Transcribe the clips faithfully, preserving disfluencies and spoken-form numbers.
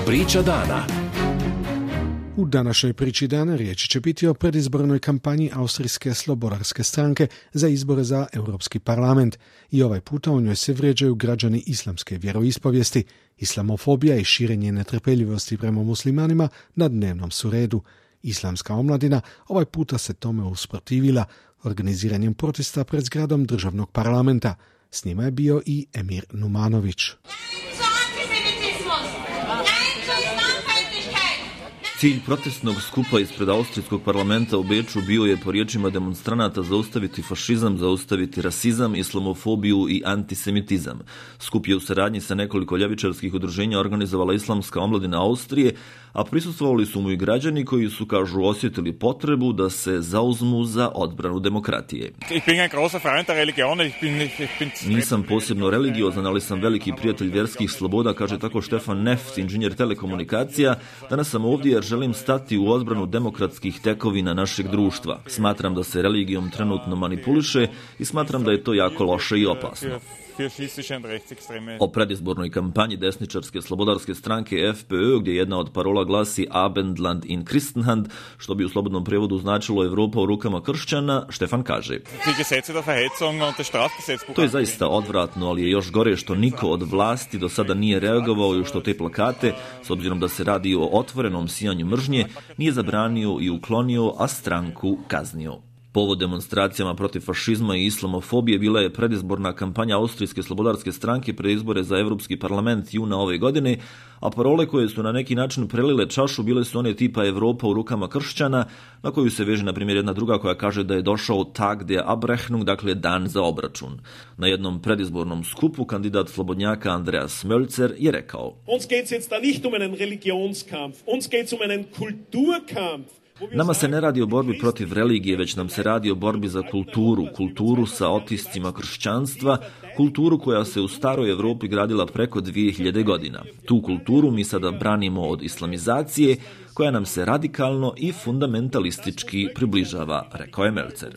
Priča dana. U današnjoj priči dana riječ će biti o predizbornoj kampanji Austrijske slobodarske stranke za izbore za Europski parlament. I ovaj puta u njoj se vrijeđaju građani islamske vjeroispovijesti. Islamofobija i širenje netrpeljivosti prema muslimanima na dnevnom su redu. Islamska omladina ovaj puta se tome usprotivila organiziranjem protesta pred zgradom državnog parlamenta. S njima je bio i Emir Numanović. Cilj protestnog skupa ispred Austrijskog parlamenta u Beču bio je, po riječima demonstranata, zaustaviti fašizam, zaustaviti rasizam, islamofobiju i antisemitizam. Skup je u saradnji sa nekoliko ljevičarskih udruženja organizovala Islamska omladina Austrije, a prisustvovali su mu i građani koji su, kažu, osjetili potrebu da se zauzmu za odbranu demokratije. Nisam posebno religiozan, ali sam veliki prijatelj vjerskih sloboda, kaže tako Stefan Neft, inženjer telekomunikacija. Danas sam ovdje jer želim stati u odbranu demokratskih tekovina našeg društva. Smatram da se religijom trenutno manipuliše i smatram da je to jako loše i opasno. O predizbornoj kampanji desničarske slobodarske stranke F P Ö, gdje jedna od parola glasi Abendland in Christenhand, što bi u slobodnom prijevodu značilo Evropa u rukama kršćana, Štefan kaže: to je zaista odvratno, ali je još gore što niko od vlasti do sada nije reagovao i što te plakate, s obzirom da se radi o otvorenom sijanju mržnje, nije zabranio i uklonio, a stranku kaznio. Povod demonstracijama protiv fašizma i islamofobije bila je predizborna kampanja Austrijske slobodarske stranke pred izbore za Europski parlament juna ove godine, a parole koje su na neki način prelile čašu bile su one tipa Evropa u rukama kršćana, na koju se veže na primjer jedna druga koja kaže da je došao Tag der Abrechnung, dakle dan za obračun. Na jednom predizbornom skupu kandidat slobodnjaka Andreas Mölzer je rekao: Uns geht's jetzt da nicht um einen Religionskampf, uns geht's um einen Kulturkampf. Nama se ne radi o borbi protiv religije, već nam se radi o borbi za kulturu, kulturu sa otiscima kršćanstva, kulturu koja se u staroj Evropi gradila preko dvije hiljade godina. Tu kulturu mi sada branimo od islamizacije, koja nam se radikalno i fundamentalistički približava, rekao je Mölzer.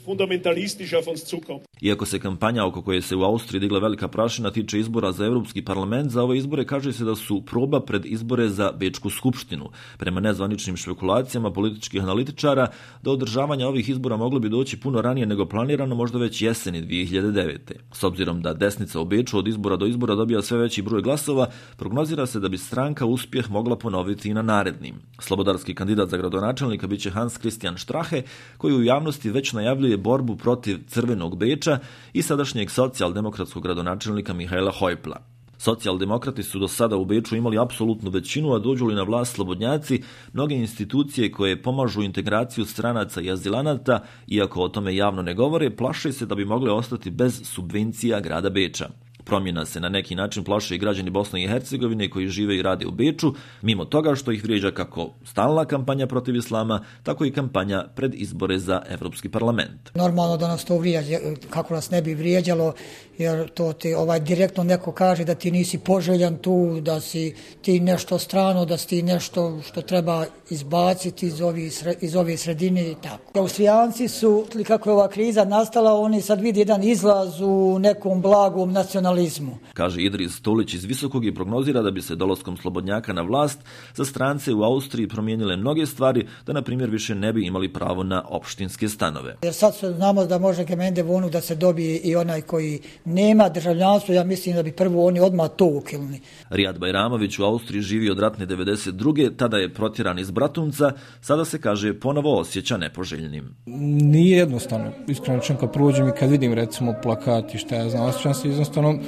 Iako se kampanja oko koje se u Austriji digla velika prašina tiče izbora za Europski parlament, za ove izbore kaže se da su proba pred izbore za Bečku skupštinu. Prema nezvaničnim špekulacijama političkih analitičara, do održavanja ovih izbora moglo bi doći puno ranije nego planirano, možda već jeseni dvije hiljade devete. S obzirom da desnica u Beču od izbora do izbora dobija sve veći broj glasova, prognozira se da bi stranka uspjeh mogla ponoviti i na narednim. Slobodarski kandidat za gradonačelnika biće Hans Christian Strache, koji u javnosti već najavljuje borbu protiv crvenog Beča i sadašnjeg socijaldemokratskog gradonačelnika Mihaela Häupla. Socijaldemokrati su do sada u Beču imali apsolutnu većinu, a dođu li na vlast slobodnjaci, mnoge institucije koje pomažu integraciju stranaca i azilanata, iako o tome javno ne govore, plaše se da bi mogle ostati bez subvencija grada Beča. Promjena se na neki način plaše i građani Bosne i Hercegovine koji žive i rade u Beču, mimo toga što ih vrijeđa kako stalna kampanja protiv islama, tako i kampanja pred izbore za Europski parlament. Normalno da nas to vrijeđa, kako nas ne bi vrijeđalo, jer to ti ovaj direktno neko kaže da ti nisi poželjan tu, da si ti nešto strano, da si ti nešto što treba izbaciti iz ove, iz ove sredine i tako. Austrijanci su, kako je ova kriza nastala, oni sad vidi jedan izlaz u nekom blagom nacionalizmu. Kaže Idris Stolić iz Visokog i prognozira da bi se dolaskom slobodnjaka na vlast za strance u Austriji promijenile mnoge stvari, da na primjer više ne bi imali pravo na opštinske stanove. Jer sad znamo da može Gemende Vonu da se dobije i onaj koji nema državljanstvo, ja mislim da bi prvo oni odmah to ukilni. Rijad Bajramović u Austriji živi od ratne devedeset druge, tada je protjeran iz Bratunca, sada se kaže ponovo osjeća nepoželjnim. Nije jednostavno, iskreno čem kad prođem i kad vidim recimo plakati, šta ja znam, osjećam se jednostavno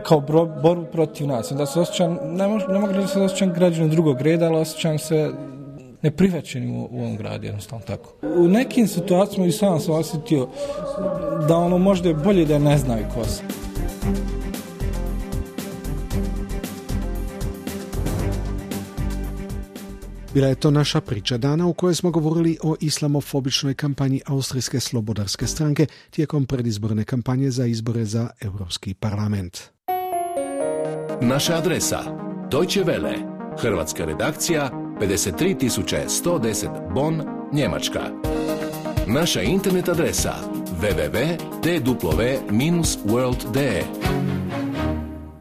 kao borbu protiv nas. Da se osjećam, ne, mož, ne mogu da se osjećam građanin drugog reda, ali osjećam se neprihvaćenim u, u ovom gradu, jednostavno tako. U nekim situacijama i sam sam osjetio da ono možda je bolje da ne znaju ko se. Bila je to naša priča dana u kojoj smo govorili o islamofobičnoj kampanji Austrijske slobodarske stranke tijekom predizborne kampanje za izbore za Europski parlament. Naša adresa: Deutsche Welle, hrvatska redakcija, pedeset tri tisuće sto deset Bonn, Njemačka. Naša internet adresa: w w w tačka d w dash world dash d e